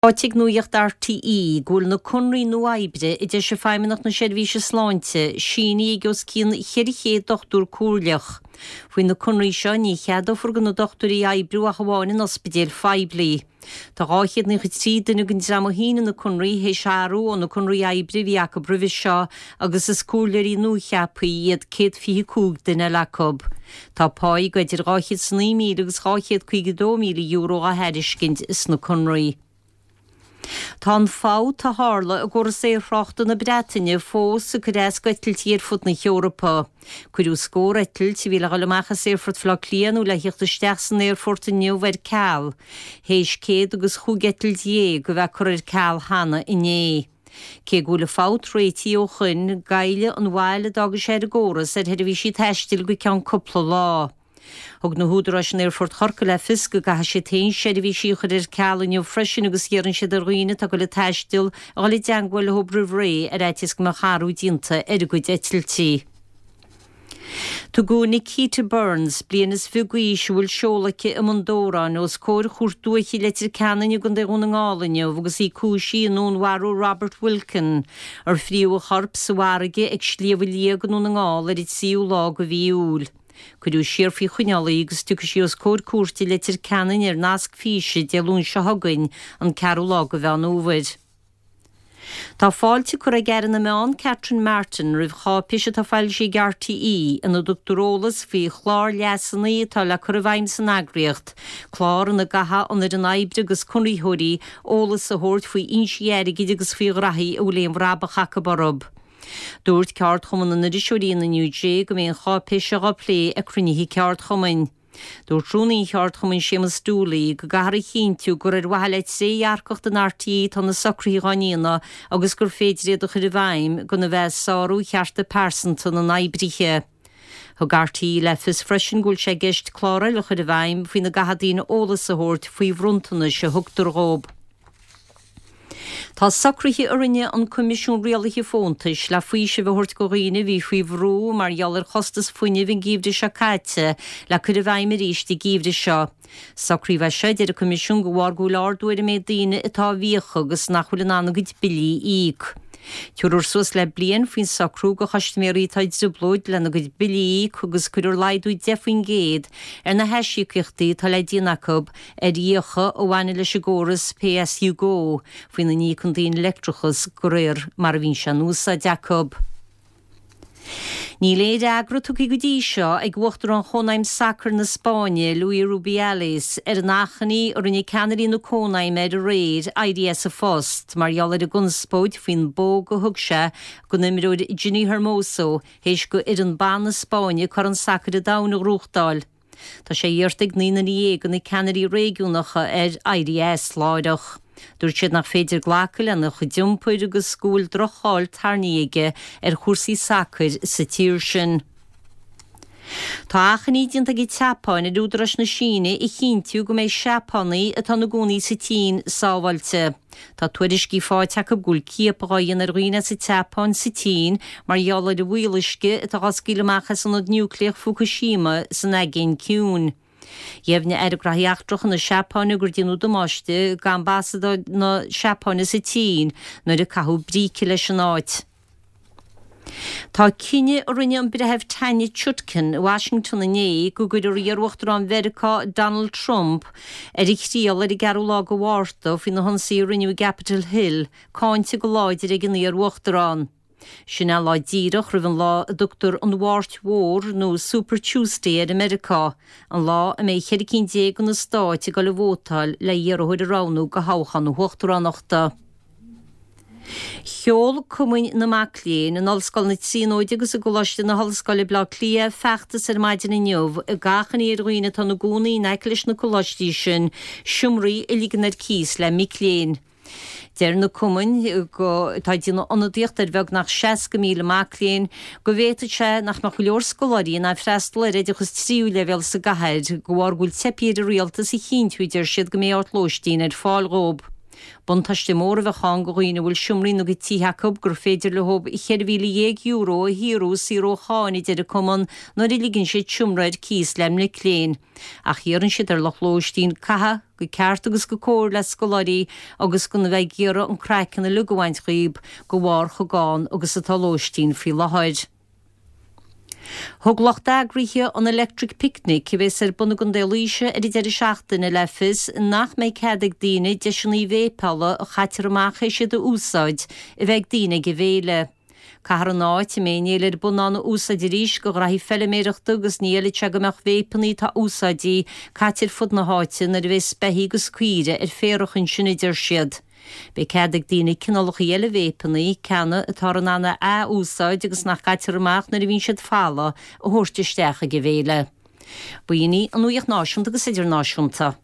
Ráite ag Nuacht RTÉ go bhfuil na conraí nua oibre a d'eisigh Feidhmeannacht na Seirbhíse Sláinte sínithe ag os cionn 400 dochtúir comhairleach. Faoi na conraí seo ní cheadófar do na dochtúirí oibriú ach amháin in ospidéil phoiblí. Tá 293 duine den dream a shínigh na conraí théis athrú ó na conraí oibre a bhí acu roimhe seo agus is comhairleoirí nuacheaptha iad 125 duine eile acu. Tá páí de idir €209,000 agus €252,000 á thairiscint sna conraí. Tá an fabht a tharla i gcóras aerthráchta na Breataine fós ag cur as d'eitiltí ar fud na hEorpa. Cuireadh scór eitilt a bhí le dhul amach as Aerfort Bhaile Átha Cliath nó le theacht isteach san aerfort inniu ar ceal, théis céad agus chúig eitilt dhéag a bheith curtha ar ceal cheana inné. Cé go bhfuil an fabht réitithe ó shoin, goillfidh an mhoill a d'fhágfaidh sé ar an gcóras ar sheirbhísí taistil go ceann cúpla lá. Thug na húdaráis in Aerfort Chorcaí le fios go gcaithfidh siad féin seirbhísí a chur ar ceal inniu freisin agus iarrann siad ar dhaoine atá ag dul ag taisteal a dhul i dteangmháil leo roimh ré ar fhaitíos go mbeadh athrú déanta ar a gcuid eitiltí. Tugadh Nikita Burns, bliain is fiche d'aois, a bhfuil seoladh aici i mBun Dobhráin, os comhair Chúirt Dúiche Leitir Ceanainn i gContae Dhún na nGall inniu agus í cúisithe i ndúnmharú Robert Wilkin, ar fríodh a chorp sa bhfarraige ag Sliabh Liag i nDún na nGall ar an tríú lá de mhí Iúil. Cuireadh siar faoi choinneáil í agus tiocfaidh sí os comhair cúirte i Leitir Ceanainn ar nasc físe Dé Luain seo chugainn, an ceathrú lá de Mheán Fhómhair. Tá fáilte curtha ag Aire na Meán Catherine Martin roimh cháipéis atá foilsithe ag RTÉ ina dtugtar eolas faoi chlár leasanna atá le cur i bhfeidhm san eagraíocht, clár ina gcaithfidh an fhoireann oibre agus conraitheoirí eolas a thabhairt faoi fhoinsí airgid agus faoi ghraithí a bhfuil aon bhrabach acu orthu. Dúirt Ceardchumann na nIriseoirí an NUJ go mbeidh an cháipéis seo á plé ag cruinnithe ceardchumainn. Dúirt Rúnaí an Cheardchumainn Séamus Dooley go gcaithfear a chinntiú gur ar mhaithe le trédhearcacht in RTÉ atá na socruithe dhá ndéanamh agus gur féidir iad a chur i bhfeidhm gan a bheith ag sárú chearta pearsanta na n-oibrithe. Thug RTÉ le fios freisin go bhfuil sé i gceist clár eile a chur i bhfeidhm faoina gcaithfidh daoine eolas a thabhairt faoi bhronntanais a thugtar dhóibh. Tá socruithe a rinne an Coimisiún Rialaithe Fóntais le faoiseamh a thabhairt do dhaoine a bhí faoi bhrú mar gheall ar chostas fuinnimh an geimhreadh seo caite le cur i bhfeidhm arís an geimhreadh seo. Socraíodh é seo, a deir an Coimisiún, de bharr go bhfuil ardú ar an méid daoine atá i bhfiacha agus nach bhfuil in ann a gcuid billí a íoc. Tabharfar suas le bliain faoin socrú do chustaiméirí atá i dtrioblóid lena gcuid billí a íoc agus cuirfear laghdú 10% ar na haisíocaíochtaí atá le déanamh acu ar fhiacha a bhaineann leis an gcóras pay as you go faoina n-íocann daoine leictreachas de réir mar a bhíonn sé in úsáid acu. Níl aon fhreagra tugtha go dtí seo ag Uachtarán Chónaidhm Sacair na Spáinne, Luis Rubiales, ar an achainí a rinne ceannairí na Cónaidhme air aréir éirí as a phost mar gheall ar an gconspóid faoin bpóg a thug sé don imreoir Jenni Hermoso théis do fhoireann ban na Spáinne Corn Sacair an Domhain a ghnóthachtáil. Tá sé iarrta ag 19 nduine de na ceannairí réigiúnacha air éirí as láithreach. Dúirt siad nach féidir glacadh lena chuid iompair agus go bhfuil droch-cháil tarraingthe aige ar chúrsaí sacair sa tír sin. Tá achainí déanta ag an tSeapáin ar údaráis na Síne a chinntiú go mbeidh Seapánaigh atá ina gcónaí sa tSín sábháilte. Tá tuairiscí faighte acu go bhfuil ciapadh á dhéanamh ar dhaoine as an tSeapáin sa tSín mar gheall ar an bhfuíolluisce atá á scaoileadh amach as ionad núicléach Fukushima san Aigéan Ciúin. Dheimhnigh Aire Gnóthaí Eachtracha na Seapáine gur déanadh damáiste d'ambasáid na Seapáine sa tSín nuair a caitheadh bríce leis an áit. Tá cinneadh a rinne an Breitheamh Tanya Chutkan i Washington inné go gcuirfear iar-Uachtarán Mheiriceá Donald Trump ar a thriail ar an gceathrú lá de Mhárta faoi na hionsaithe a rinneadh i gCapitol Hill cáinte go láidir ag an iar-Uachtarán. Sin é lá díreach roimh an lá a dtugtar an Mháirt Mhór nó Super Tuesday air i Meiriceá, an lá a mbeidh 14 cinn de na stáit ag dul a vótáil le hiarrthóir a roghnú do thoghchán na huachtaránachta. Sheol Cumainn na Mac Léinn in Ollscoil na Tríonóide agus i gColáiste na hOllscoile Baile Átha Cliath feachtas ar maidin inniu ag achainí ar dhaoine atá ina gcónaí in aice leis na coláistí sin seomraí a ligean ar cíos le mic léinn. Deir na cumainn, atá ag déanamh ionadaíocht ar bheagnach 60,000 mac léinn, go bhféadfadh sé nach mbeadh go leor scoláirí in ann freastal ar oideachas tríú leibhéal sa gcathair de bharr go bhfuil teipthe ar an rialtas a chinntiú, a deir siad, go mbeidh áit lóistín ar fáil dhóibh. Buntáiste mór a bheadh ann go dhaoine a bhfuil seomraí ina gcuid tithe acu gur féidir leo €14,000 a shaothrú saor ó cháin, a deir an cumann, nuair a ligeann siad seomra ar cíos le mic léinn. Ach iarrann siad ar lucht lóistín caitheamh go ceart agus go cóir le scoláirí agus gan a bheith ag iarraidh an craiceann uilig a bhaint dhíob de bharr chomh gann agus atá lóistín faoi láthair. Thug lucht eagraithe an Electric Picnic, a bheas ar bun i gContae Laoise ar an deireadh seachtaine, le fios nach mbeidh cead ag daoine deiseanna véipeála a chaitear amach théis iad a úsáid a bheith ag daoine ag an bhféile. Caithfear an áit a mbeidh an fhéile ar bun ann a úsáid arís go ghraithí feiliméireachta agus ní fheilfidh sé go mbeadh véipeanna atá úsáidte caite ar fud na háite nuair a bheas beithígh agus caoirigh ar féarach ansin, a deir siad. Beidh cead ag daoine cineálacha eile véipeanna, ceanna atáthar in ann a ath-úsáid agus nach gcaitear amach nuair a bhíonn siad folamh, a thabhairt isteach ag an bhféile. B'in í an nuacht náisiúnta agus idirnáisiúnta.